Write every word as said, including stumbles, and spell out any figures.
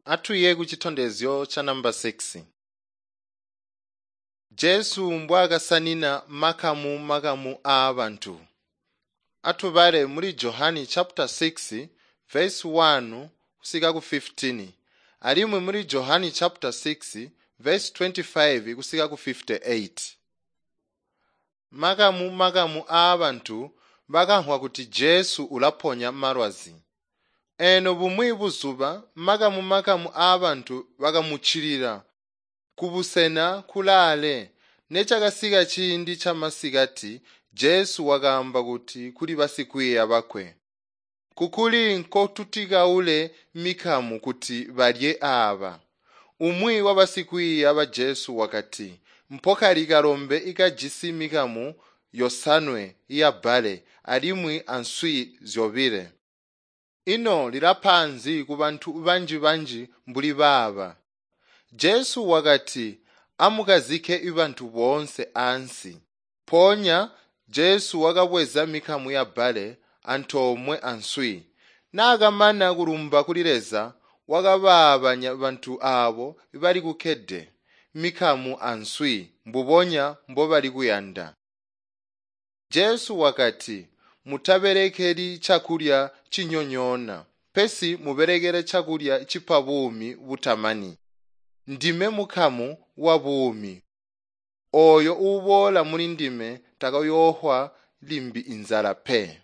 Atwiiye kucitondezyo ca namba six. Jesu mbwaakasanina makamu-makamu aabantu. Atubale muli Johani chapter six verse one kusika ku fifteen alimwi muli Johani chapter six verse twenty-five kusika ku fifty-eight. Makamu-makamu aabantu bakamvwa kuti Jesu ulaponya malwazi. Eno bumwi buzuba makamu-makamu aabantu bakamuccilila kubusena kulaale. Necakasika ciindi camasikati Jesu wakaamba kuti kuli basikwiiya bakwe, "Kukuli nkotutikaule mikamu kuti balye aaba?" Umwi wabasikwiiya ba Jesu wakati, "Mpokali kalombe ikajisi mikamu yosanwe yabbale alimwi answi zyobile. Ino lilapa nzi kubantu banji-banji mbuli baaba?" Jesu wakati, "Amukazike bantu boonse ansi." Mpoonya Jesu wakabweza mikamu yabbale antoomwe answi. Naakamana kulumba kuli Leza, wakabaabanya bantu aabo bali kukkede mikamu answi mbubonya mbobali kuyanda. Jesu wakati, "Mutabelekeli cakulya cinyonyoona, pesi mubelekele cakulya cipa buumi butamani. Ndime mukamu wabuumi. Ooyo uuboola mulindime takayoofwa limbi inzala pe."